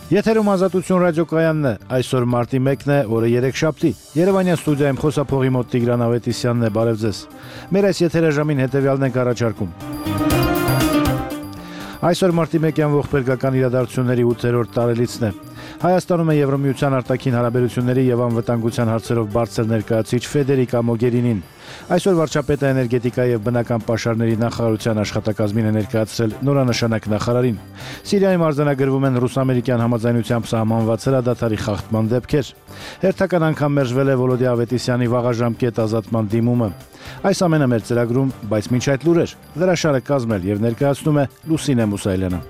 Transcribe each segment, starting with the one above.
Եթերում Ազատություն ռադիոկայանն է, այսօր մարտի 1-ն է, օրը 3-շաբթի։ Երևանյան ստուդիայում խոսափողի մոտ Տիգրան Ավետիսյանն է, բարև ձեզ։ Մեր այս եթերաժամին հետևյալն ենք առաջարկում։ Այսօր մարտի 1-յան ողբերգական իրադարձությունների 8-րդ տարելիցն է։ Հայաստանում է Եվրամիության արտաքին հարաբերությունների եւ անվտանգության հարցերով բարձր ներկայացուցիչ Ֆեդերիկա Մոգերինին։ Այսօր վարչապետը էներգետիկայի եւ բնական պաշարների նախարարության աշխատակազմին է ներկայացրել նորանշանակ նախարարին։ Սիրիայում արձանագրվում են ռուս-ամերիկյան համաձայնությամբ սահմանված հրադադարի խախտման դեպքեր։ Հերթական անգամ մերժվել է Վոլոդի Ավետիսյանի վաղաժամկետ ազատման դիմումը։ Այս ամենը մեր ծրագրում, բայց մինչ այդ լուրեր։ Հրաշալը կազմել եւ ներկայացնում է Լուսինե Մուսայելյանը։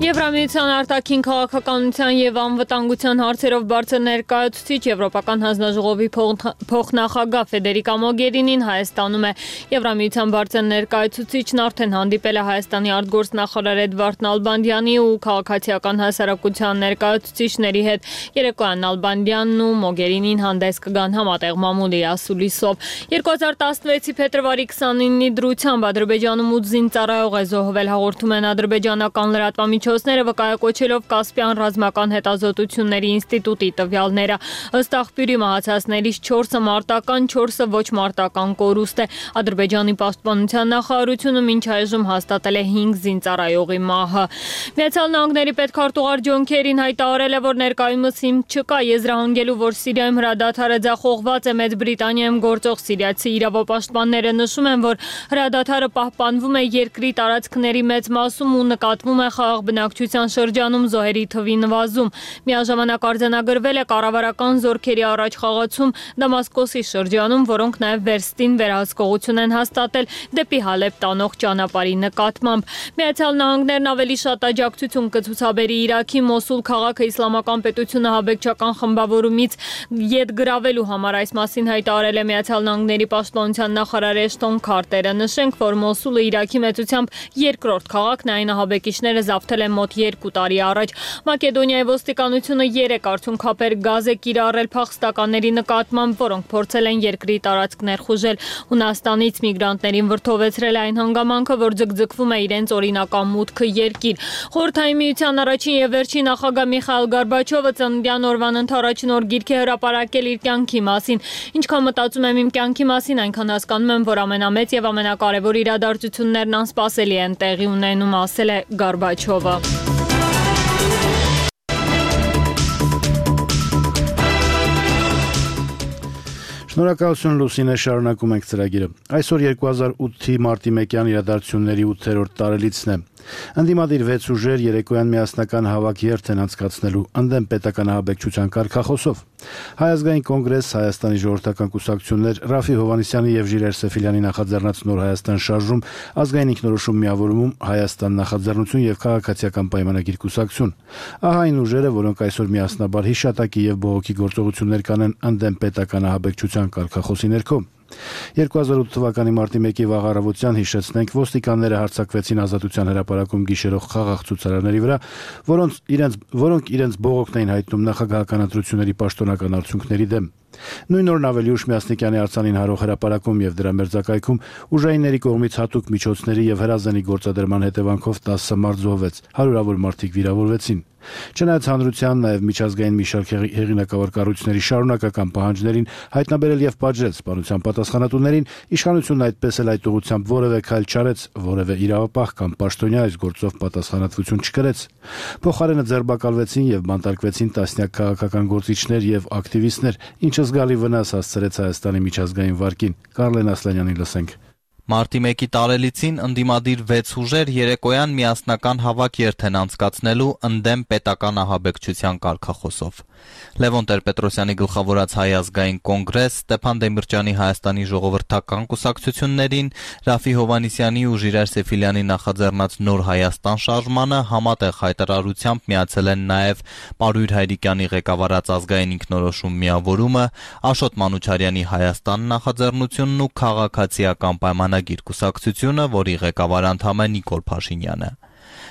Եվրամիության արտաքին քաղաքականության եւ անվտանգության հարցերով բարձր ներկայացուցիչ Եվրոպական հանձնաժողովի փոխնախագահ Ֆեդերիկա Մոգերինին Հայաստանում է։ Եվրամիության բարձր ներկայացուցիչն արդեն հանդիպել է Հայաստանի արտգործնախարար Էդվարդ Նալբանդյանի ու քաղաքացիական հասարակության ներկայացուցիչների հետ։ Երեկոյան Նալբանդյանն ու Մոգերինին հանդես կգան համատեղ մամուլի ասուլիսով։ 2016-ի փետրվարի 29-ի դրությամբ Ադրբեջանում 8 զինծառայող է զոհվել, հաղորդում են ադրբեջանական լրատվամիջոցները, վկայակոչելով Կասպյան ռազմական հետազոտությունների ինստիտուտի տվյալները։ Ըստ աղբյուրի մահացածներից 4-ը մարտական, 4-ը ոչ մարտական կորուստ է։ Ադրբեջանի պաշտպանության նախարարությունը մինչ այժմ հաստատել է 5 զինծառայողի մահը։ Միացյալ Նահանգների պետքարտուղար Ջոն Քերին հայտարարել է, որ ներկայումս հիմք չկա եզրահանգելու, որ Սիրիայում հրադադարը ձախողված է։ Մեծ Բրիտանիայում գործող սիրիացի իրավապաշտպանները նշում են, որ հրադադարը պահպանվում է երկրի տարածքների մեծ մասում ու նկատվում է խաղաղ բնակչության շրջանում զոհերի թվի նվազում։ Միաժամանակ արձանագրվել է կառավարական զորքերի առաջխաղացում Դամասկոսի շրջանում, որոնք նաև վերստին վերահսկողություն են հաստատել դեպի Հալեբ տանող ճանապարհի նկատմամբ։ Միացյալ Նահանգներն ավելի շատ աջակցություն կցուցաբերի Իրաքի Մոսուլ քաղաքը իսլամական պետությունը հաբեկչական խմբավորումից ետ գրավելու համար։ Այս մասին հայտարարել է Միացյալ Նահանգների պաշտպանության նախարար Էշտոն Քարտերը։ Նշենք, որ Մոսուլը Իրաքի մեծությամբ երկրորդ քաղաքն է, այն ահաբեկիչները զավթել են մոտ 2 տարի առաջ։ Մակեդոնիայի ոստիկանությունը 3 արդյունքաբեր գազ է կիրառել փախստականների նկատմամբ, որոնք փորձել են երկրի տարածք ներխուժել։ Հունաստանից միգրանտներին վրդովեցրել այն հանգամանքը, որ ձգձգվում է իրենց օրինական մուտքը երկիր։ Խորհրդային միության առաջին եւ վերջին նախագահ Միխայիլ Գորբաչովը ծննդյան օրվան ընդառաջին օր գիրք է հրապարակել իր կյանքի մասին։ Ինչքան մտածում եմ իմ կյանքի մասին, այնքան հասկանում եմ, որ ամենամեծ եւ ամենակարևոր իրադարձություններն անսպասելի են տեղի ունենում, ասել է Գորբաչովը։ Շնորհակալություն Լուսինե, շարունակում ենք ծրագիրը։ Այսօր 2008-ի մարտի 1-յան իրադարձությունների 8-րդ տարելիցն է։ Ընդդիմադիր 6 ուժեր երեկոյան միասնական հավաք երթ են անցկացնելու ընդդեմ պետական ահաբեկչության կարգախոսով։ Հայ ազգային կոնգրես, Հայաստանի ժողովրդական կուսակցություններ, Ռաֆի Հովհաննիսյանի եւ Ժիրայր Սեֆիլյանի նախաձեռնած Նոր Հայաստան շարժում, ազգային ինքնորոշում միավորումում, Հայաստան նախաձեռնություն եւ քաղաքացիական պայմանագիր կուսակցություն։ Ահա այն ուժերը, որոնք այսօր միասնաբար հիշատակի եւ բողոքի գործողություններ կանեն ընդդեմ պետական ահաբեկչության կարգախոսի ներքո։ 2008 թվականի մարտի 1-ի վաղ առավոտյան հիշեցնենք, ոստիկանները հարձակվեցին Ազատության հրապարակում գիշերող խաղաղ ցուցարարների վրա, որոնք իրենց բողոքն էին հայտնում նախագահական ընտրությունների պաշտոնական արդյունքների դեմ։ Նույն օրն ավելի ուշ Միասնիկյանի արձանին հարող հրապարակում եւ դրա մերձակայքում ուժայինների կողմից հատուկ միջոցների եւ հրազենի գործադրման հետևանքով 10 մարդ զոհվեց, հարյուրավոր մարդիկ վիրավորվեցին։ Չնայած հանրության, նաև միջազգային մի շարք հեղինակավոր կառույցների շարունակական պահանջներին հայտնաբերել եւ պատժել սպանության պատասխանատուներին, իշխանությունն այդպես էլ այդ ուղղությամբ որևէ քայլ չարեց, որևէ իրավապահ կամ պաշտոնյա այս գործով պատասխանատվություն չկրեց։ Փոխարենը ձերբակալվեցին եւ բանտարկվեցին տասնյակ քաղաքական գործիչներ եւ ակտիվիստներ, ինչը զգալի վնաս հասցրեց Հայաստանի միջազգային վարկին։ Կարլեն Ասլանյանին լսենք։ Մարտի 1-ի տարելիցին ընդդիմադիր 6 ուժեր երեկոյան միասնական հավաք երթ են անցկացնելու ընդդեմ պետական ահաբեկչության կարգախոսով։ Լևոն Տեր-Պետրոսյանի գլխավորած Հայ ազգային կոնգրես, Ստեփան Դեմիրճյանի Հայաստանի ժողովրդական կուսակցություններին, Ռաֆի Հովհաննիսյանի ու Ժիրայր Սեֆիլյանի նախաձեռնած Նոր Հայաստան շարժմանը համատեղ հայտարարությամբ միացել են նաև Պարույր Հայրիկյանի ղեկավարած ազգային ինքնորոշում միավորումը, Աշոտ Մանուչարյանի Հայաստան նախաձեռնությունն ու քաղաքացիական պայմանագիր կուսակցությունը, որի ղեկավար անդամ է Նիկոլ Փաշինյանը։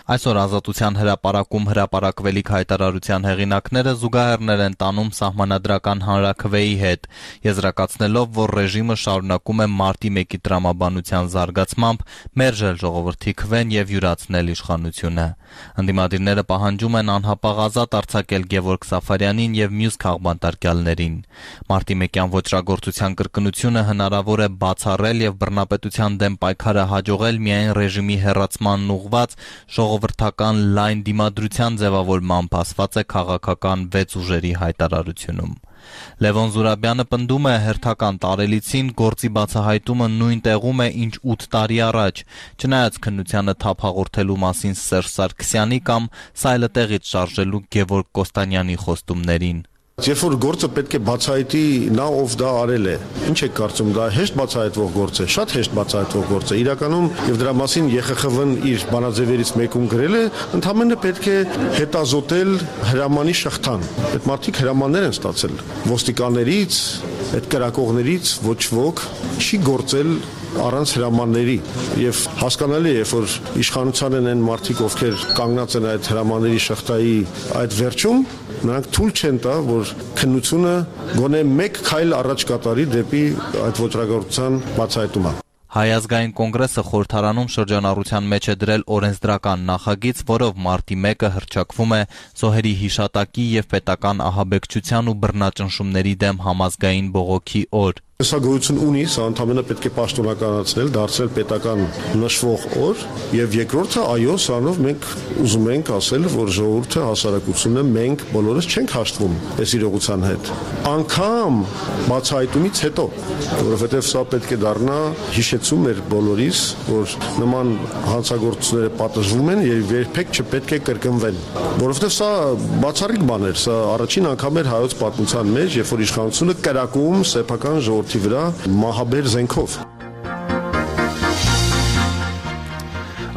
Այսօր Ազատության հրապարակում հրապարակվելիք հայտարարության հեղինակները զուգահեռներ են տանում սահմանադրական հանրաքվեի հետ, եզրակացնելով, որ ռեժիմը շարունակում է մարտի 1-ի տրամաբանության զարգացմամբ մերժել ժողովրդի քվեն եւ յուրացնել իշխանությունը։ Ընդդիմադիրները պահանջում են անհապաղ ազատ արձակել Գևորգ Սաֆարյանին եւ մյուս քաղբանտարկյալներին։ Մարտի 1-յան ոճրագործության կրկնությունը հնարավոր է բացառել եւ բռնապետության դեմ պայքարը հաջողել միայն ռեժիմի հեռացմանն ուղղված ժողովրդական լայն դիմադրության ձևավորմամբ, ասված է քաղաքական 6 ուժերի հայտարարությունում։ Լևոն Զուրաբյանը պնդում է հերթական տարելիցին գործի բացահայտումը նույն տեղում է, ինչ 8 տարի առաջ, չնայած քննությանը թափ հաղորդելու մասին Սերժ Սարգսյանի կամ սայլը տեղից շարժելու Գևորգ Կոստանյանի խոստումներին։ Երբ որ գործը պետք է բացահայտի նա, ով դա արել է, ինչ եք կարծում, դա հեշտ բացահայտվող գործ է, շատ հեշտ բացահայտվող գործ է։ Իրականում եւ դրա մասին ԵԽԽՎ-ն իր բանաձևերից մեկում գրել է, ընդհանրապես պետք է հետազոտել հրամանի շղթան։ Այդ մարդիկ հրամաններ են ստացել ոստիկաններից, այդ կրակողներից ոչ ոք չի գործել առանց հրամանների եւ հասկանալի է, որ իշխանության են մարդիկ, ովքեր կանգնած են այդ հրամանների շղթայի այդ վերջում, նրանք թույլ չեն տա, որ քննությունը գոնե մեկ քայլ առաջ կատարի դեպի այդ ոճրագործության բացահայտումը։ Հայ ազգային կոնգրեսը խորհրդարանում շրջանառության մեջ է դրել օրենսդրական նախագիծ, որով մարտի 1-ը հռչակվում է զոհերի հիշատակի եւ պետական ահաբեկչության ու բռնաճնշումների դեմ համազգային բողոքի օր։ Սա գոյություն ունի, սա ընդհանրապես պետք է պաշտոնականացնել, դարձնել պետական նշվող օր, եւ երկրորդը, այո, սրանով մենք ուզում ենք ասել, որ ժողովուրդը, հասարակությունը, մենք բոլորս չենք հաշտվում այս իրողության հետ։ Անկամ բացահայտումից հետո, որովհետեւ սա պետք է դառնա հիշեցում մեր բոլորիս, որ նման հանցագործությունները պատժվում են եւ երբեք չպետք է կրկնվեն, որովհետեւ սա բացառիկ բան էր, սա առաջին անգամ էր հայոց պատմության մեջ, երբ որ իշխանությունը կրակում սեփական ժողովրդի վրա մահաբեր զենքով։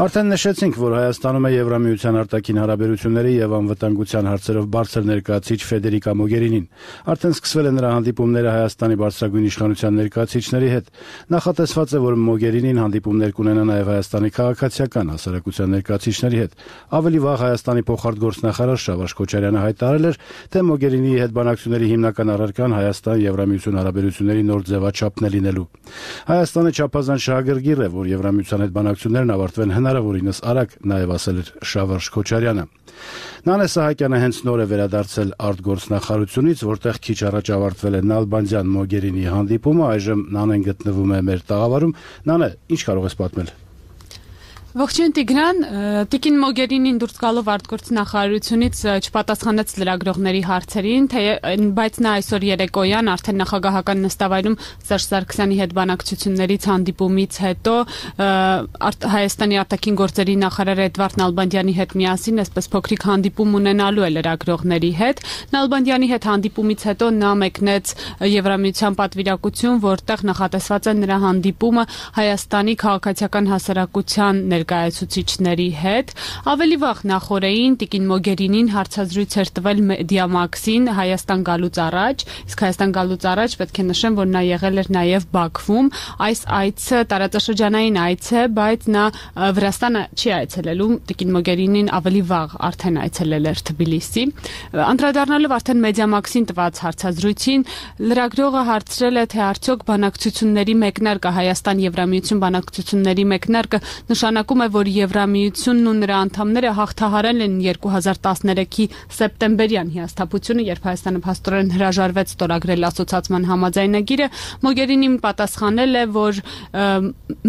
Արդեն նշեցինք, որ Հայաստանում է Եվրամիության արտաքին հարաբերությունների եւ անվտանգության հարցերով բարձր ներկայացիչ Ֆեդերիկա Մոգերինին։ Արդեն սկսվել են նրա հանդիպումները Հայաստանի բարձրագույն իշխանության ներկայացիչների հետ։ Նախատեսված է, որ Մոգերինին հանդիպումներ կունենա նաեւ Հայաստանի քաղաքացիական հասարակության ներկայացիչների հետ։ Ավելի վաղ Հայաստանի փոխարտգործնախարար Շավարժ Քոչարյանը հայտարարել էր, թե Մոգերինիի հետ բանակցությունների հիմնական առարկան Հայաստան-Եվրամիություն հարաբերությունների նոր ձևաչափն է լինելու։ Հայաստանը չափազանց շահագրգիռ է, որ Եվրամիության հետ բանակցություններն ավարտվեն հնարավորինս արագ, նաև ասել էր Շավարժ Քոչարյանը։ Նանե Սահակյանը հենց նոր է վերադարձել արտգործնախարարությունից, որտեղ քիչ առաջ ավարտվել է Նալբանդյան Մոգերինի հանդիպումը, այժմ Նանեն գտնվում է մեր տաղավարում։ Նանե, ինչ կարող ես պատմել։ Ողջույն Տիգրան, Տիկին Մոգերինին դուրս գալով արտգործնախարարությունից չպատասխանեց լրագրողների հարցերին, բայց նա այսօր երեկոյան արդեն նախագահական նստավայրում Սերժ Սարգսյանի հետ բանակցություններից հանդիպումից հետո Հայաստանի արտաքին գործերի նախարար Էդվարդ Նալբանդյանի հետ միասին այսպես փոքրիկ հանդիպում ունենալու է լրագրողների հետ։ Նալբանդյանի հետ հանդիպումից հետո նա մեկնեց Եվրամիության պատվիրակություն, որտեղ նախատեսված է նրա հանդիպումը Հայաստանի քաղաքացիական հասարակության ներկայացուցիչների հետ։ Ավելի վաղ նախորդին Տիկին Մոգերինին հարցազրույց էր տվել Մեդիամաքսին Հայաստան գալուց առաջ, իսկ Հայաստան գալուց առաջ պետք է նշեմ, որ նա եղել էր նաև Բաքվում։ Այս այցը տարածաշրջանային այց է, բայց նա Վրաստանը չի այցելելու։ Տիկին Մոգերինին ավելի վաղ արդեն այցելել էր Թբիլիսի։ Անդրադառնալով արդեն Մեդիամաքսին տված հարցազրույցին, լրագրողը հարցրել է, թե արդյոք բանակցությունների մեկնարկը Հայաստան-Եվրամիություն բանակցությունների մեկնարկը նշանակում է, որ Եվրամիությունն ու նրա անդամները հաղթահարել են 2013-ի սեպտեմբերյան հիասթափությունը, երբ Հայաստանը փաստորեն հրաժարվեց ստորագրել ասոցիացիան համաձայնագիրը։ Մոգերինին պատասխանել է, որ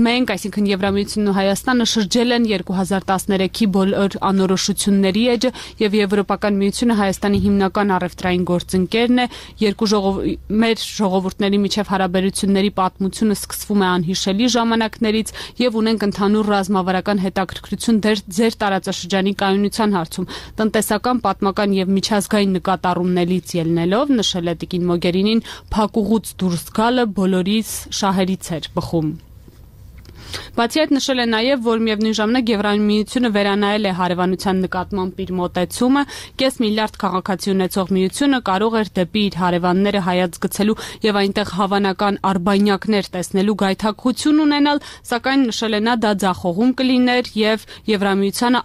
մենք, այսինքն Եվրամիությունն ու Հայաստանը շրջել են 2013-ի բոլոր անորոշությունների էջը եւ Եվրոպական միությունը Հայաստանի հիմնական առևտրային գործընկերն է։ Մեր ժողովուրդների միջև հարաբերությունների պատմությունը սկսվում է անհիշելի ժամանակներից եւ ունենք ընդհանուր ռազմավարական հետաքրքրություն ձեր տարածաշրջանի կայունության հարցում, տնտեսական, պատմական եւ միջազգային նկատառումներից ելնելով, նշել է Տիկին Մոգերինին, փակուղուց դուրս գալը բոլորիս շահերից էր բխում։ Բացի այդ նշել է նաև, որ միևնույն ժամանակ Եվրամիությունը վերանայել է հարևանության նկատմամբ իր մոտեցումը, կես միլիարդ քաղաքացի ունեցող միությունը կարող էր դեպի իր հարևանները հայացք գցելու եւ այնտեղ հավանական արբանյակներ տեսնելու գայթակղություն ունենալ, սակայն նշել է նա դա ձախողում կլիներ եւ Եվրամիությանը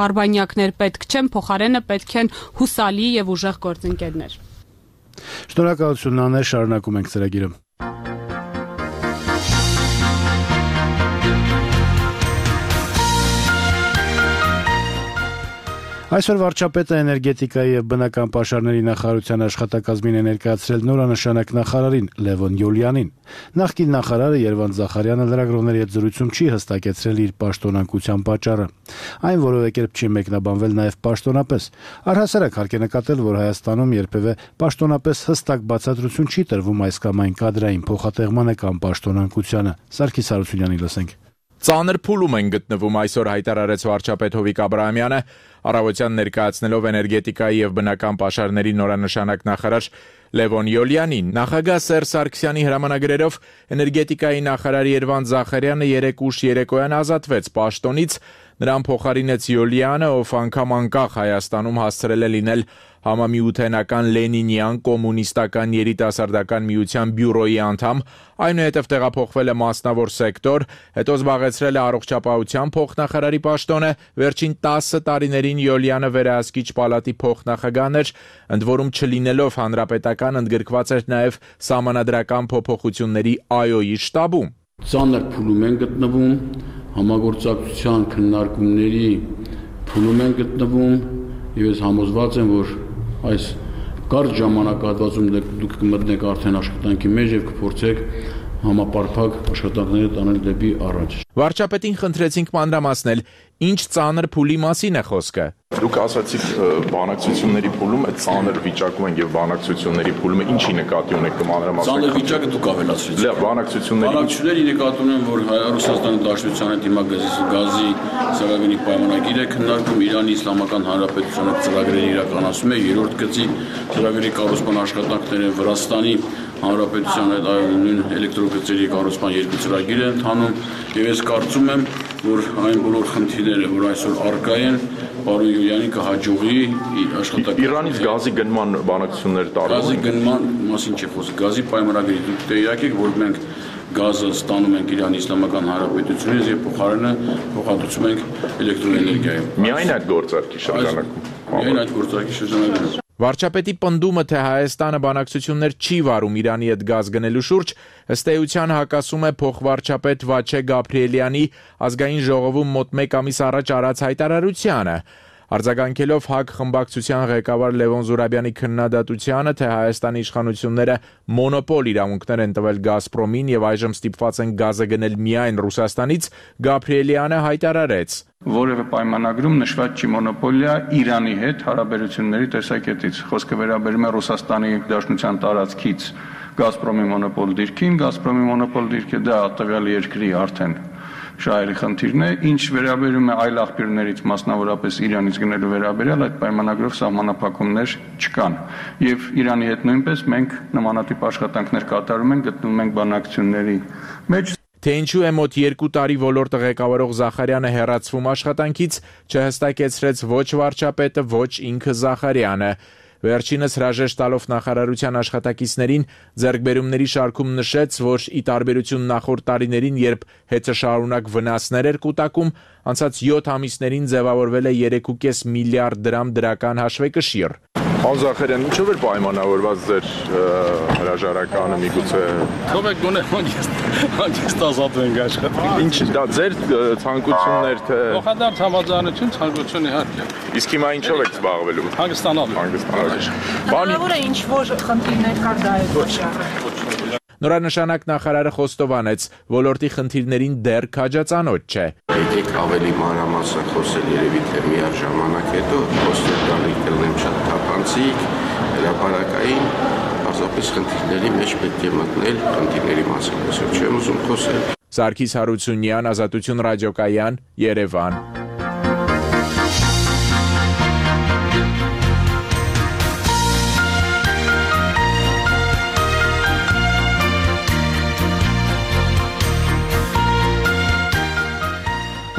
արբանյակներ պետք չեն, փոխարենը պետք են հուսալի եւ ուժեղ գործընկերներ։ Շնորհակալություն Նանե, շարունակում ենք ծրագիրը։ Այսօր վարչապետը էներգետիկայի եւ բնական պաշարների նախարարության աշխատակազմին է ներկայացրել նորանշանակ նախարարին Լևոն Յոլյանին։ Նախկին նախարարը Երվանդ Զախարյանը լրագրողների հետ զրույցում չի հստակեցրել իր պաշտոնակության պատճառը։ Այն որևէ կերպ չի մեկնաբանվել նաեւ պաշտոնապես։ Առհասարակ հարկ է նկատել, որ Հայաստանում երբևէ պաշտոնապես հստակ բացատրություն չի տրվում այս կամ այն կադրային փոխատեղմանը կամ պաշտոնակությանը։ Սարգիս Հարությունյանի լսենք։ Ծանր փուլում են գտնվում այսօր հայտարարեց վարչապետ Հովիկ Աբրահամյանը, առավոտյան ներկայացնելով էներգետիկայի եւ բնական պաշարների նորանշանակ նախարար Լևոն Յոլյանին։ Նախագահ Սերժ Սարգսյանի հրամանագրերով էներգետիկայի նախարար Երվանդ Զախարյանը երեկ ուշ երեկոյան ազատվեց պաշտոնից, նրան փոխարինեց Յոլյանը, ով անգամ անկախ Հայաստանում հասցրել է լինել Համամիութենական Լենինյան կոմունիստական երիտասարդական միության բյուրոյի անդամ, այնուհետև տեղափոխվել է մասնավոր սեկտոր, հետո զբաղեցրել է առողջապահության փոխնախարարի պաշտոնը, վերջին 10 տարիներին Յոլյանը վերահսկիչ պալատի փոխնախագահն էր, ընդ որում չլինելով հանրապետական ընդգրկված էր նաև սահմանադրական փոփոխությունների ԱՅՈ-ի շտաբում։ Ծանր փուլում են գտնվում, համագործակցության քննարկումների փուլում են գտնվում, եւ ես համոզված եմ, որ այս կարճ ժամանակահատվածում դուք կմտնեք արդեն աշխատանքի մեջ եւ կփորձեք համապարփակ աշխատանքները տանել դեպի առաջ։ Վարչապետին խնդրեցինք մանրամասնել, ինչ ծանր փուլի մասին է խոսքը։ Դուք ասացիք բանակցությունների փուլում, այդ ծանր վիճակում են եւ բանակցությունների փուլումը ինչի նկատի ունեք կմանրամասնեք։ Ծանր վիճակը դուք ավելացրեցիք։ Լավ, բանակցությունների նկատի ունեմ, որ Ռուսաստանի Դաշնության հետ հիմա գազի ծրագրի պայմանագիր է քննարկում, Իրանի Իսլամական Հանրապետությունը ծրագրերը իրականացում է, երրորդ գծի ծրագրի կառուցման աշխատանքները Վրաստանի Հանրապետության հետ նույն էլեկտրոգծերի կառուցման երկու ծրագիր են ընթանում եւ ես կարծում եմ, որ այն բոլոր խնդիրները, որ այսօր առկա են, պարոն Յոլյանի կհաջողի աշխատանքը։ Իրանից գազի գնման բանակցություններ տարվում են։ Գազի գնման մասին չի խոսքը, գազի պայմանագրի դուք տեղյակ եք, որ մենք գազը ստանում ենք Իրանի Իսլամական Հանրապետությունից եւ փոխարենը փոխադրում ենք էլեկտրոէներգիայով։ Միայն այդ գործարքի շրջանակում։ Միայն այդ գործարքի շրջանակում։ Վարչապետի պնդումը, թե Հայաստանը բանակցություններ չի վարում Իրանի հետ գազ գնելու շուրջ, ըստ էության հակասում է փոխվարչապետ Վաչե Գաբրիելյանի ազգային ժողովում մոտ 1 ամիս առաջ արած հայտարարությանը։ Արձագանքելով ՀԱԿ խմբակցության ղեկավար Լևոն Զուրաբյանի քննադատությանը, թե Հայաստանի իշխանությունները մոնոպոլ իրավունքներ են տվել Գազպրոմին եւ այժմ ստիպված են գազը գնել միայն Ռուսաստանից, Գաբրիելյանը հայտարարեց. Որևէ պայմանագրում նշված չի մոնոպոլիա Իրանի հետ հարաբերությունների տեսակետից։ Խոսքը վերաբերում է Ռուսաստանի Դաշնության տարածքից Գազպրոմի մոնոպոլ դիրքին, Գազպրոմի մոնոպոլ դիրքը դա տվյալ երկրի արդեն շահերի խնդիրն է, ինչ վերաբերում է այլ աղբյուրներից, մասնավորապես Իրանից գնելու վերաբերյալ, այդ պայմանագրով սահմանափակումներ չկան։ Եվ Իրանի հետ նույնպես մենք նմանատիպ աշխատանքներ կատարում ենք, գտնվում ենք բանակցությունների մեջ։ Թե ինչու է մոտ 2 տարի ոլորտը ղեկավարող Զախարյանը հեռացվում աշխատանքից, չհստակեցրեց ոչ վարչապետը, ոչ ինքը Զախարյանը։ Վերջինս հրաժեշտ տալով նախարարության աշխատակիցներին ձեռքբերումների շարքում նշեց, որ ի տարբերություն նախորդ տարիներին, երբ հետզշարունակ վնասներ էր կուտակում, անցած 7 ամիսներին ձևավորվել է 3.5 միլիարդ դրամ դրական հաշվեկշիռ։ Պարոն Զախարյան, ինչով էր պայմանավորված ձեր հրաժարականը միգուցե։ Թողեք գոնե հանգիստ ազատվենք աշխատանքից։ Ինչ դա ձեր ցանկություններ թե Փոխադարձ համաձայնություն ցանկություն իհարկե։ Իսկ հիմա ինչով եք զբաղվելու։ Հանգստանալու։ Հնարավոր է ինչ որ խնդիրներ կար դա է ոչինչ։ Նորանշանակ նախարարը խոստովանեց, ոլորտի խնդիրներին դեռ քաջածանոթ չէ։ Եկեք ավելի մանրամասն խոսել երևի թե միաժամանակ հետո խոսել տալի կլնեմ շատ թափանցիկ, հրապարակային, պարզապես խնդիրների մեջ պետք է մտնել, խնդիրների մասին խոսել, չեմ ուզում խոսել։ Սարգիս Հարությունյան, Ազատություն ռադիոկայան, Երևան։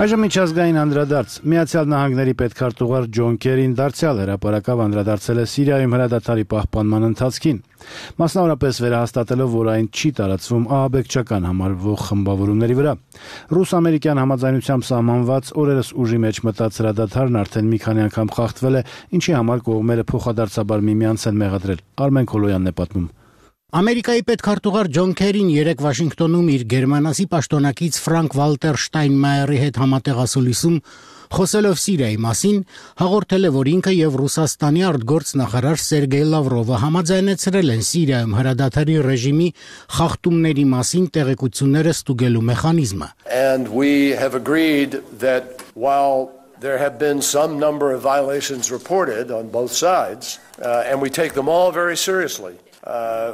Այժմ միջազգային անդրադարձ Միացյալ Նահանգների պետքարտուղար Ջոն Քերին դարձյալ հրապարակավ անդրադարձել է Սիրիայում հրադադարի պահպանման ընթացքին, մասնավորապես վերահաստատելով, որ այն չի տարածվում ահաբեկչական համարվող խմբավորումների վրա։ Ռուս-ամերիկյան համաձայնությամբ սահմանված օրերս ուժի մեջ մտած հրադադարն արդեն մի քանի անգամ խախտվել է, ինչի համար կողմերը փոխադարձաբար միմյանց են մեղադրել։ Արմեն Քոլոյանն է պատմում։ Ամերիկայի պետքարտուղար Ջոն Քերին երեկ Վաշինգտոնում իր գերմանացի պաշտոնակից Ֆրանկ Վալտեր Շտայնմայերի հետ համատեղասուլիսում խոսելով Սիրիայի մասին հաղորդել է, որ ինքը եւ Ռուսաստանի արտգործնախարար Սերգեյ Լավրովը համաձայնեցրել են Սիրիայում հրադադարի ռեժիմի խախտումների մասին տեղեկությունները ստուգելու մեխանիզմը։ And we have agreed that while there have been some number of violations reported on both sides, and we take them all very seriously.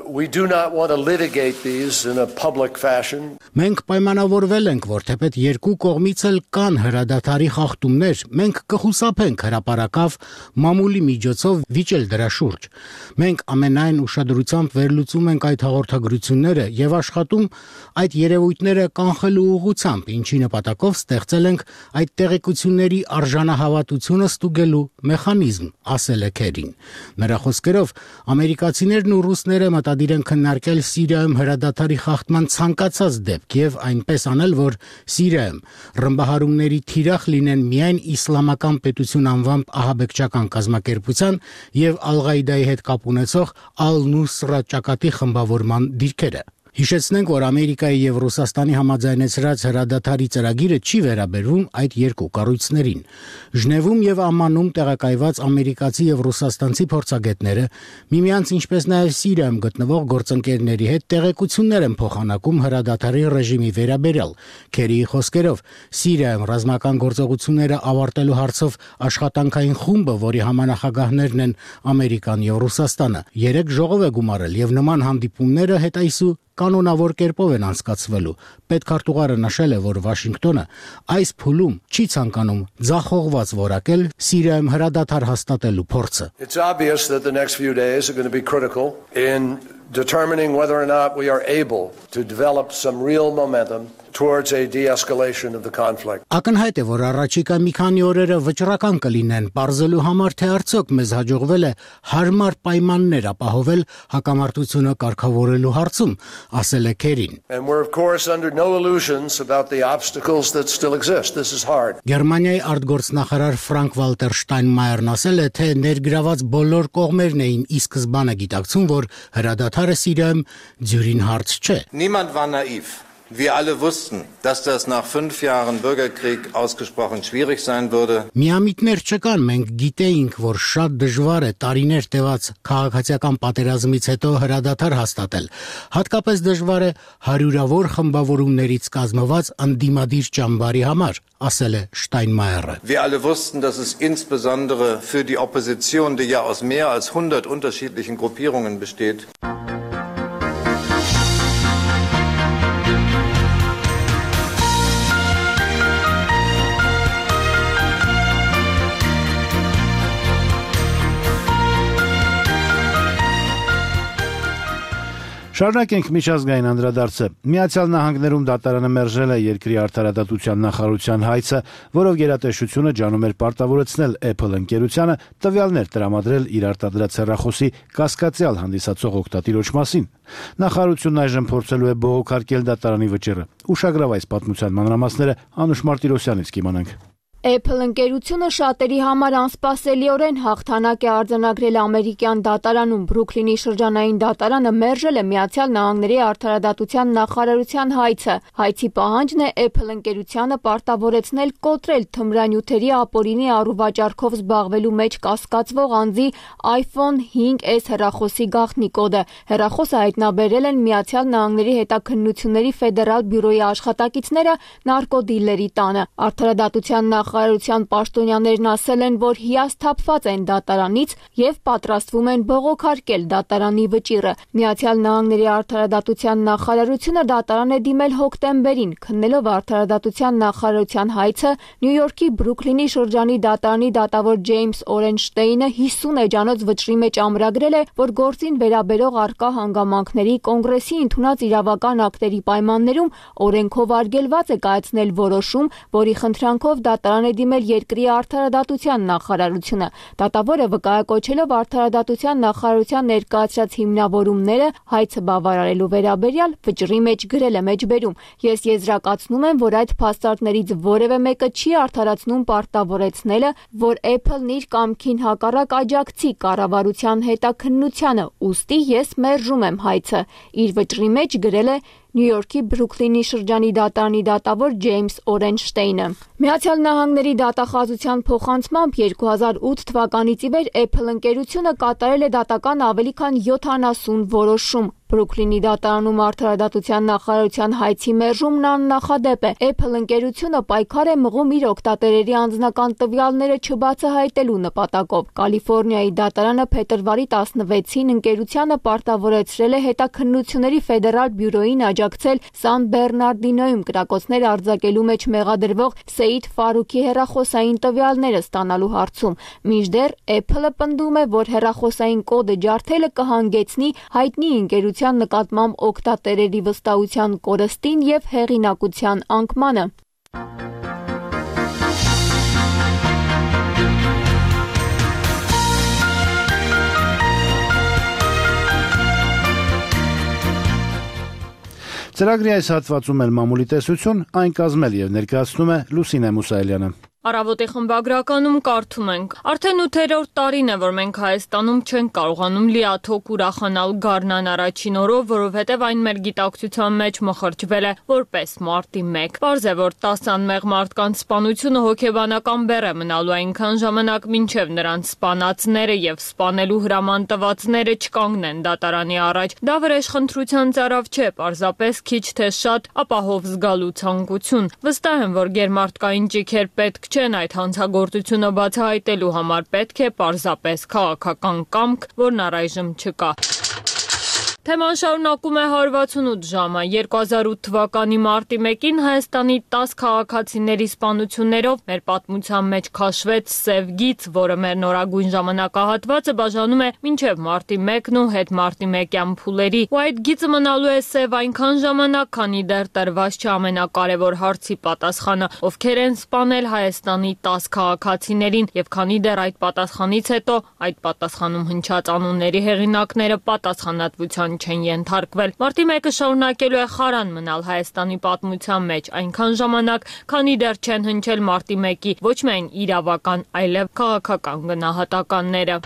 We do not want to litigate these in a public fashion. Մենք պայմանավորվել ենք, որ թեպետ երկու կողմից էլ կան հրադադարի խախտումներ, մենք կխուսափենք հրապարակավ մամուլի միջոցով վիճել դրա շուրջ։ Մենք ամենայն ուշադրությամբ վերլուծում ենք այդ հաղորդագրությունները եւ աշխատում այդ երևույթները կանխելու ուղղությամբ, ինչի նպատակով ստեղծել ենք այդ տեղեկությունների արժանահավատությունը ստուգելու մեխանիզմ, ասել է Քերին։ Նրա խոսքերով ամերիկացիներն ու ռուսները մտադիր են քննարկել Սիրիայում հրադադարի խախտման ցանկացած դեպք եւ այնպես անել, որ Սիրիայում ռմբահարումների թիրախ լինեն միայն իսլամական պետություն անվամբ ահաբեկչական կազմակերպության եւ Ալ-Ղաիդայի հետ կապ ունեցող Ալ-Նուսրա ճակատի խմբավորման դիրքերը։ Հիշեցնենք, որ Ամերիկայի եւ Ռուսաստանի համաձայնեցրած հրադադարի ծրագիրը չի վերաբերվում այդ երկու կառույցներին։ Ժնևում եւ Ամմանում տեղակայված ամերիկացի եւ ռուսաստանցի փորձագետները միմյանց ինչպես նաեւ Սիրիայում գտնվող գործընկերների հետ տեղեկություններ են փոխանակում հրադադարի ռեժիմի վերաբերյալ։ Քերիի խոսքերով Սիրիայում ռազմական գործողությունները ավարտելու հարցով աշխատանքային խումբը, որի համանախագահներն են Ամերիկան եւ Ռուսաստանը, 3 ժողով է գումարել եւ նման հանդիպումները հետ այսու կանոնավոր կերպով են անցկացվելու։ Պետքարտուղարը նշել է, որ Վաշինգտոնը այս փուլում չի ցանկանում ձախողված որակել Սիրիայում հրադադար հաստատելու փորձը։ It's obvious that the next few days are going to be critical in determining whether or not we are able to develop some real momentum towards a de-escalation of the conflict. Ակնհայտ է, որ առաջիկա մի քանի օրերը վճռական կլինեն, պարզելու համար, թե արդյոք մեզ հաջողվել է հարմար պայմաններ ապահովել հակամարտությունը կարգավորելու հարցում, ասել է Քերին։ And we're of course under no illusions about the obstacles that still exist. This is hard. Գերմանիայի արտգործնախարար Ֆրանկ Վալտեր Շտայնմայերն ասել է, թե ներգրաված բոլոր կողմերն էին ի սկզբանե գիտակցում, որ հրադադարը Սիրիայում ձյուրին հարց չէ։ Niemand war naiv. Wir alle wussten, dass das nach 5 Jahren Bürgerkrieg ausgesprochen schwierig sein würde. Միամիտներ չկան, մենք գիտեինք, որ շատ դժվար է տարիներ տևած քաղաքացիական պատերազմից հետո հրադադար հաստատել։ Հատկապես դժվար է հարյուրավոր խմբավորումներից կազմված ընդդիմադիր ճամբարի համար, ասել է Շտայնմայերը։ Wir alle wussten, dass es insbesondere für die Opposition, die ja aus mehr als 100 unterschiedlichen Gruppierungen besteht, Շարունակենք միջազգային անդրադարձը։ Միացյալ Նահանգներում դատարանը մերժել է երկրի արդարադատության նախարարության հայցը, որով գերատեսչությունը ջանում էր պարտավորեցնել Apple ընկերությանը տվյալներ տրամադրել իր արտադրած հեռախոսի կասկածյալ հանդիսացող օգտատիրոջ մասին։ Նախարարությունն այժմ փորձելու է բողոքարկել դատարանի վճիռը։ Ուշագրավ այս պատմության մանրամասները Անուշ Մարտիրոսյանից կիմանանք։ Apple ընկերությունը շատերի համար անսպասելիորեն հաղթանակ է արձանագրել ամերիկյան դատարանում։ Բրուքլինի շրջանային դատարանը մերժել է Միացյալ Նահանգների արդարադատության նախարարության հայցը։ Հայցի պահանջն է Apple ընկերությանը պարտավորեցնել կոտրել թմրանյութերի ապօրինի առուվաճառքով զբաղվելու մեջ կասկածվող անձի iPhone 5S հեռախոսի գաղտնի կոդը։ Հեռախոսը հայտնաբերել են Միացյալ Նահանգների հետաքննությունների ֆեդերալ բյուրոյի աշխատակիցները նարկոդիլերի տանը։ Արդարադատության նախարարության պաշտոնյաներն ասել են, որ հիասթափված են դատարանից եւ պատրաստվում են բողոքարկել դատարանի վճիռը։ Միացյալ Նահանգների արդարադատության նախարարությունը դատարան է դիմել հոկտեմբերին, քննելով արդարադատության նախարարության հայցը Նյու Յորքի Բրուքլինի շրջանի դատարանի դատավոր Ջեյմս Օրենշտեյնը 50 էջանոց վճռի մեջ ամրագրել է, որ գործին վերաբերող առկա հանգամանքների կոնգրեսի ընդունած իրավական ակտերի պայմաններում օրենքով արգելված է կայացնել որոշում, որի խնդրանքով դատարան է դիմել երկրի արդարադատության նախարարությունը։ Դատավորը վկայակոչելով արդարադատության նախարարության ներկայացրած հիմնավորումները հայցը բավարարելու վերաբերյալ վճռի մեջ գրել է մեջբերում։ Ես եզրակացնում եմ, որ այդ փաստարկներից որևէ մեկը չի արդարացնում պարտավորեցնելը, որ Apple-ն իր կամքին հակառակ աջակցի կառավարության հետաքննությանը, ուստի ես մերժում եմ հայցը։ Իր վճռի մեջ գրել է Նյու Յորքի Բրուքլինի շրջանի դատարանի դատավոր Ջեյմս Օրենշտեյնը։ Միացյալ Նահանգների դատախազության փոխանցմամբ 2008 թվականից ի վեր Apple ընկերությունը կատարել է դատական ավելի քան 70 որոշում։ Բրուքլինի դատարանում արդարադատության նախարարության հայցի մերժումն աննախադեպ է։ Apple ընկերությունը պայքար է մղում իր օգտատերերի անձնական տվյալները չբացահայտելու նպատակով։ Կալիֆոռնիայի դատարանը փետրվարի 16-ին ընկերությանը պարտավորեցրել է հետաքննությունների ֆեդերալ բյուրոին աջակցել Սան Բեռնարդինոյում կրակոցներ արձակելու մեջ մեղադրվող Սեյիդ Ֆարուքի հեռախոսային տվյալները ստանալու հարցում։ Մինչդեռ Apple-ը պնդում է, որ հեռախոսային կոդը ջարդելը կհանգեցնի հայտնի ընկերության նկատմամբ օգտատերերի վստահության կորստին եւ հեղինակության անկմանը։ Ծրագրի այս հատվածում էլ մամուլի տեսություն այն կազմել եւ ներկայացնում է Լուսինե Մուսայելյանը։ Առավոտի խմբագրականում կարդում ենք. Արդեն 8-րդ տարին է, որ մենք Հայաստանում չենք կարողանում լիաթոք ուրախանալ գարնան առաջին օրով, որովհետև այն մեր գիտակցության մեջ մխրճվել է որպես մարտի 1։ Պարզ է, որ 10 անմեղ մարդկանց սպանությունը հոգեբանական բեռ է մնալու այնքան ժամանակ, մինչև նրանց սպանածները եւ սպանելու հրաման տվածները չկանգնեն դատարանի առաջ։ Դա վրեժխնդրության ծարավ չէ, պարզապես քիչ թե շատ ապահով զգալու ցանկություն։ Վստահ եմ, որ գերմարտկային ճիգեր պետք չեն այդ հանցագործությունը բացահայտելու համար, պետք է պարզապես քաղաքական կամք, որն առայժմ չկա։ Թեման շարունակում է 168 ժամը։ 2008 թվականի մարտի 1-ին Հայաստանի 10 քաղաքացիների սպանություններով մեր պատմության մեջ քաշվեց սև գիծ, որը մեր նորագույն ժամանակահատվածը բաժանում է մինչև մարտի 1-ն ու հետ մարտի 1-յան փուլերի։ Ու այդ գիծը մնալու է սև այնքան ժամանակ, քանի դեռ տրված չէ ամենակարևոր հարցի պատասխանը, ովքեր են սպանել Հայաստանի 10 քաղաքացիներին, եւ քանի դեռ այդ պատասխանից հետո այդ պատասխանում հնչած անունների հեղինակները պատասխանատվության չեն ենթարկվել։ Մարտի 1-ը շարունակելու է խարան մնալ Հայաստանի պատմության մեջ այնքան ժամանակ, քանի դեռ չեն հնչել մարտի 1-ի ոչ միայն իրավական, այլև քաղաքական գնահատականները։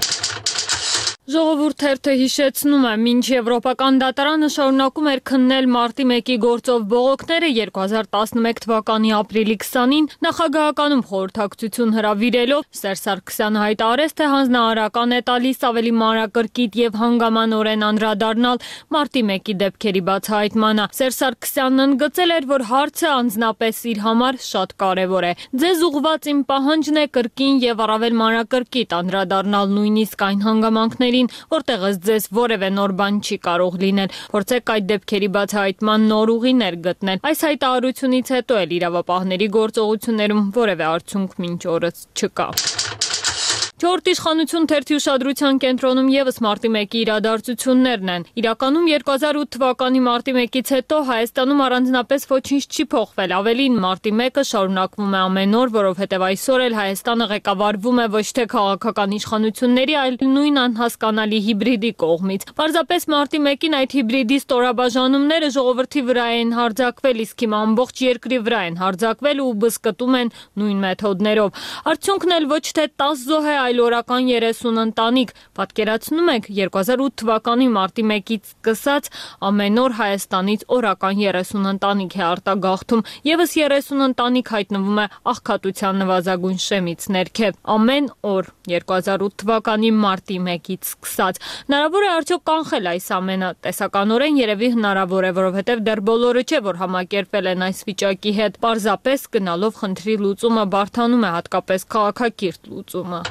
Ժողովուրդ թերթը հիշեցնում է, մինչ Եվրոպական դատարանը շարունակում էր քննել մարտի 1-ի գործով բողոքները 2011 թվականի ապրիլի 20-ին նախագահականում խորհրդակցություն հրավիրելով Սերժ Սարգսյանը հայտարարեց, թե հանձնարարական է տալիս ավելի մանրակրկիտ եւ հանգամանորեն անդրադառնալ մարտի 1-ի դեպքերի բացահայտմանը։ Սերժ Սարգսյանն ընդգծել էր, որ հարցը անձնապես իր համար շատ կարևոր է։ Ձեզ ուղղված իմ պահանջն է կրկին եւ առավել մանրակրկիտ անդրադառնալ նույնիսկ այն հանգամանքներին, որտեղ ձեզ որևէ նոր բան չի կարող լինել։ Փորձեք այդ դեպքերի բացահայտման նոր ուղիներ գտնել։ Այս հայտարարությունից հետո էլ իրավապահների գործողություններում որևէ արդյունք մինչ օրս չկա։ Չորրորդ իշխանություն թերթի ուշադրության կենտրոնում եւս մարտի 1-ի իրադարձություններն են։ Իրականում 2008 թվականի մարտի 1-ից հետո Հայաստանում առանձնապես ոչինչ չի փոխվել։ Ավելին, մարտի 1-ը շարունակվում է ամեն օր, որովհետեւ այսօր էլ Հայաստանը ղեկավարվում է ոչ թե քաղաքական իշխանությունների, այլ նույն անհասկանալի հիբրիդի կողմից։ Պարզապես մարտի 1-ին այդ հիբրիդի ստորաբաժանումները ժողովրդի վրա են հարձակվել, իսկ հիմա ամբողջ երկրի վրա են հարձակվել ու բզկտում են նույն մեթոդներով։ Արդյունքն էլ ոչ թե 10 զոհ է, այլ օրական 30 ընտանիք։ Պատկերացնում եք, 2008 թվականի մարտի 1-ից սկսած ամեն օր Հայաստանից օրական 30 ընտանիք է արտագաղթում, եւս 30 ընտանիք հայտնվում է աղքատության նվազագույն շեմից ներքև։ Ամեն օր 2008 թվականի մարտի 1-ից սկսած։ Հնարավոր է արդյոք կանխել այս ամենը։ Տեսականորեն երևի հնարավոր է, որովհետև դեռ բոլորը չէ, որ համակերպել են այս վիճակի հետ։ Պարզապես գնալով խնդրի լուծումը բարդանում է, հատկապես քաղաքակիրթ լուծումը։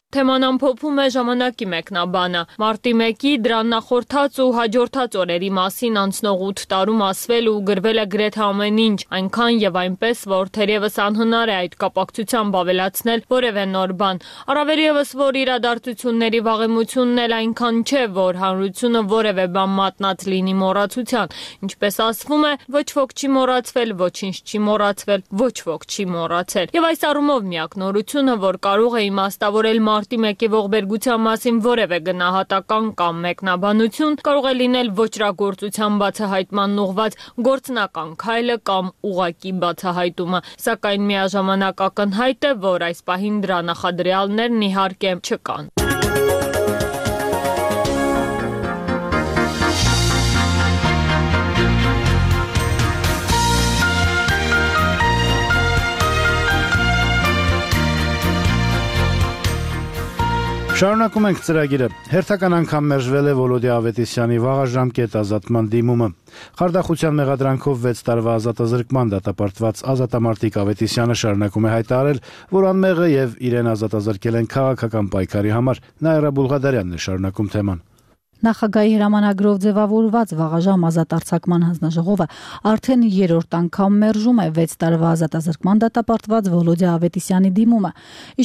Թեման ամփոփում է ժամանակի մեկնաբանը։ Մարտի 1-ի դրան նախորդած ու հաջորդած օրերի մասին անցնող 8 տարում ասվել ու գրվել է գրեթե ամեն ինչ, այնքան եւ այնպես, որ թերևս անհնար է այդ կապակցությամբ ավելացնել որևէ նոր բան։ Առավել եւս, որ իրադարձությունների վաղեմությունն էլ այնքան չէ, որ հանրությունը որևէ բան մատնած լինի մոռացության։ Ինչպես ասվում է, ոչ ոք չի մոռացվել, ոչինչ չի մոռացվել, ոչ ոք չի մոռացել։ Եվ այս առումով միակ նորությունը, որ կարող է իմաստավորել մարտի 1-ի ողբերգության մասին որևէ գնահատական կամ մեկնաբանություն, կարող է լինել ոճրագործության բացահայտման ուղղված գործնական քայլը կամ ուղղակի բացահայտումը, սակայն միաժամանակ ակնհայտ է, որ այս պահին դրա նախադրյալներն իհարկե չկան։ Շարունակում ենք ծրագիրը։ Հերթական անգամ մերժվել է Վոլոդիա Ավետիսյանի վաղաժամկետ ազատման դիմումը։ Խարդախության մեղադրանքով 6 տարվա ազատազրկման դատապարտված ազատամարտիկ Ավետիսյանը շարունակում է հայտարարել, որ անմեղ է եւ իրեն ազատազրկել են քաղաքական պայքարի համար։ Նաիրա Բուլղադարյանն է շարունակում թեման։ Նախագահի հրամանագրով ձևավորված վաղաժամ ազատարձակման հանձնաժողովը արդեն 3-րդ անգամ մերժում է 6 տարվա ազատազրկման դատապարտված Վոլոդիա Ավետիսյանի դիմումը։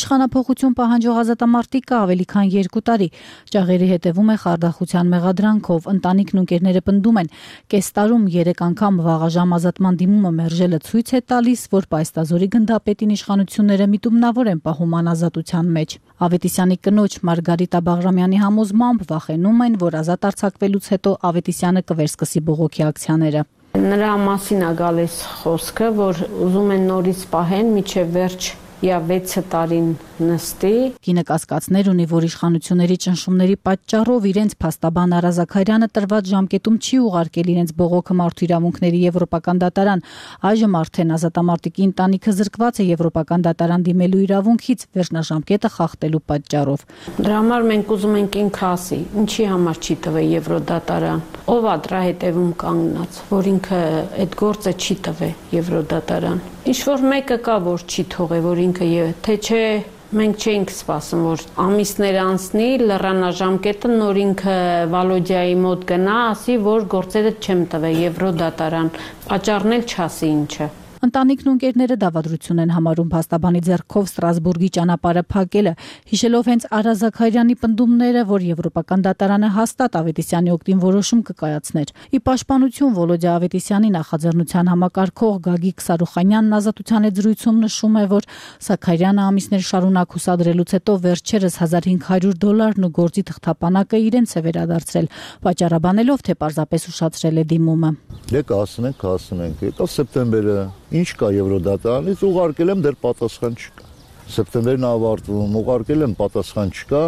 Իշխանափոխություն պահանջող ազատամարտիկը ավելի քան 2 տարի ճաղերի հետևում է խարդախության մեղադրանքով։ Ընտանիքն ու ընկերները պնդում են, կես տարում 3 անգամ վաղաժամ ազատման դիմումը մերժելը ցույց է տալիս, որ պայստազորի գնդապետին իշխանությունները միտումնավոր են պահում անազատության մեջ։ Ավետիսյանի կնոջ Մարգարիտա Բաղրամյանի համոզմամբ վախենում են, որ ազատ արձակվելուց հետո Ավետիսյանը կվերսկսի բողոքի ակցիաները։ Նրա մասին է գալիս խոսքը, որ ուզում են նորից պահեն մինչև վերջ 6 տարին նստի։ Կինը կասկածներ ունի, որ իշխանությունների ճնշումների պատճառով իրենց փաստաբան Արա Զաքարյանը տրված ժամկետում չի ուղարկել իրենց բողոքը մարդու իրավունքների եվրոպական դատարան։ Այժմ արդեն ազատամարտիկի ընտանիքը զրկված է եվրոպական դատարան դիմելու իրավունքից վերջնաժամկետը խախտելու պատճառով։ Դրա համար մենք ուզում ենք ինքը ասի, ինչի համար չի տվել Եվրոդատարան։ Ով է դրա հետևում կանգնած, որ ինքը այդ գործը չի տվել Եվրոդատարան։ Ինչ որ մեկը կա, որ չի թողե, որ ինքը թե չէ մենք չէինք սպասում, որ ամիսներ անցնի, լեռանաժամկետը նոր ինքը Վալոդիայի մոտ գնա, ասի, որ գործերը չեմ տվել Եվրոդատարան, պատճառն էլ չասի ինչը։ Ընտանիքն ու ընկերները դավադրություն են համարում փաստաբանի ձեռքով Ստրասբուրգի ճանապարհը փակելը, հիշելով հենց Արա Զաքարյանի պնդումները, որ եվրոպական դատարանը հաստատ Ավետիսյանի օգտին որոշում կկայացներ։ Ի պաշտպանություն Վոլոդիա Ավետիսյանի նախաձեռնության համակարգող Գագիկ Սարուխանյանն ազատության հետ զրույցում նշում է, որ Զաքարյանը ամիսներ շարունակ հուսադրելուց հետո վերջերս $1500 ու գործի թղթապանակը իրենց է վերադարձրել, պատճառաբանելով, թե պարզապես ուշացրել է դիմումը։ Ասում ենք, եկավ սեպտեմբերը, ինչ կա Եվրոդատարանից, ուղարկել եմ, դեռ պատասխան չկա։ Սեպտեմբերն ավարտվում, ուղարկել եմ, պատասխան չկա,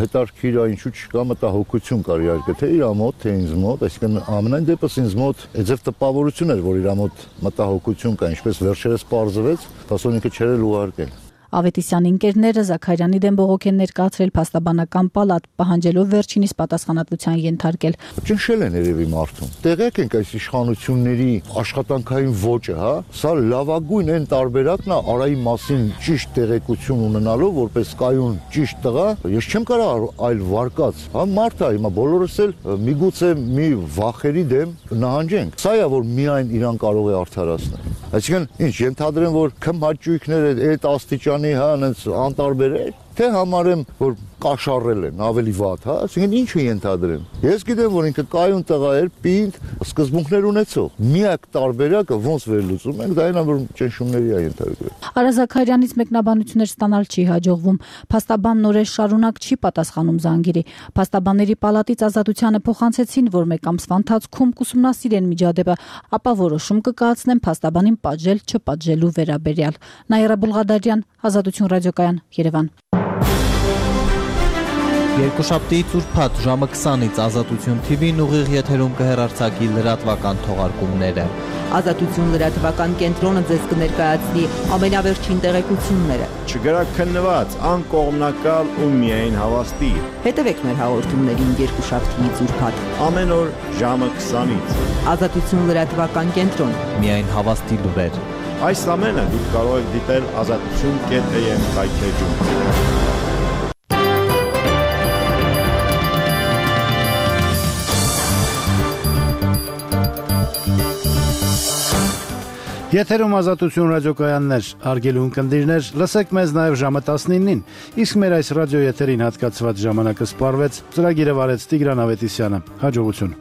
հետարքիր ինչու չկա, մտահոգություն կար իհարկե, թե իր մոտ, թե ինձ մոտ, այսինքն ամենայն դեպս ինձ մոտ այդպես տպավորություն էր, որ իր մոտ մտահոգություն կա, ինչպես վերջերս պարզվեց, ասոնիկը չէր ուղարկել։ Ավետիսյանի ընկերները Զաքարյանի դեմ բողոք են ներկայացրել փաստաբանական պալատ, պահանջելով վերջինիս պատասխանատվության ենթարկել։ Ճնշել են երևի մարդուն։ Տեղյակ ենք այս իշխանությունների աշխատանքային ոճը, հա, սա լավագույն այն տարբերակն է Արայի մասին ճիշտ տեղեկություն ունենալով, որպես կայուն ճիշտ տղա, ես չեմ կարող այլ վարկած, հա, մարդ է, հիմա բոլորս էլ միգուցե մի վախերի դեմ նահանջենք։ Սա է, որ միայն իրան կարող է արդարացնել։ Այսինքն, ինչ ենթադրեմ, որ քմհաճույքները այդ աստիճանի հա, այնց անտարբեր է։ թե համարեմ, որ կաշառել են ավելի վատ, հա, ասենք ինչ է ենթադրեմ։ Ես գիտեմ, որ ինքը կայուն տղա էր, պինդ, սկզբունքներ ունեցող։ Միակ տարբերակը ոնց վերլուծում ենք, դա այն որ ճնշումների է ենթարկվել։ Արա Զաքարյանից մեկնաբանություններ ստանալ չի հաջողվում։ Փաստաբան Նորեշ Շարունակ չի պատասխանում զանգերի։ Փաստաբանների պալատից ազատությանը փոխանցեցին, որ մեկ ամսվա ընթացքում կուսումնասիրեն միջադեպը, ապա որոշում կկայացնեն փաստաբանին պատժել չպատժելու վերաբերյալ։ Նաիրա Բուլղադարյան, Ազատություն ռադիոկայան, Երևան։ Երկուշաբթիից ուրբաթ ժամը 20-ից Ազատություն TV-ն ուղիղ եթերում կհեռարձակի լրատվական թողարկումները։ Ազատություն լրատվական կենտրոնը ձեզ կներկայացնի ամենավերջին տեղեկությունները։ Չգրաքննված, անկողմնակալ ու միայն հավաստի։ Հետևեք մեր հաղորդումներին երկուշաբթիից ուրբաթ ամեն օր ժամը 20-ից։ Ազատություն լրատվական կենտրոն։ Միայն հավաստի լուրեր։ Այս ամենը դուք կարող եք դիտել azatutun.am վայթեջում։ Եթերում Ազատություն ռադիոկայաններ, հարգելի ունկնդիրներ, լսեք մեզ նաև ժամը 19-ին, իսկ մեր այս ռադիոեթերին հատկացված ժամանակը սպառվեց, ծրագիրը վարեց Տիգրան Ավետիսյանը, հաջողություն։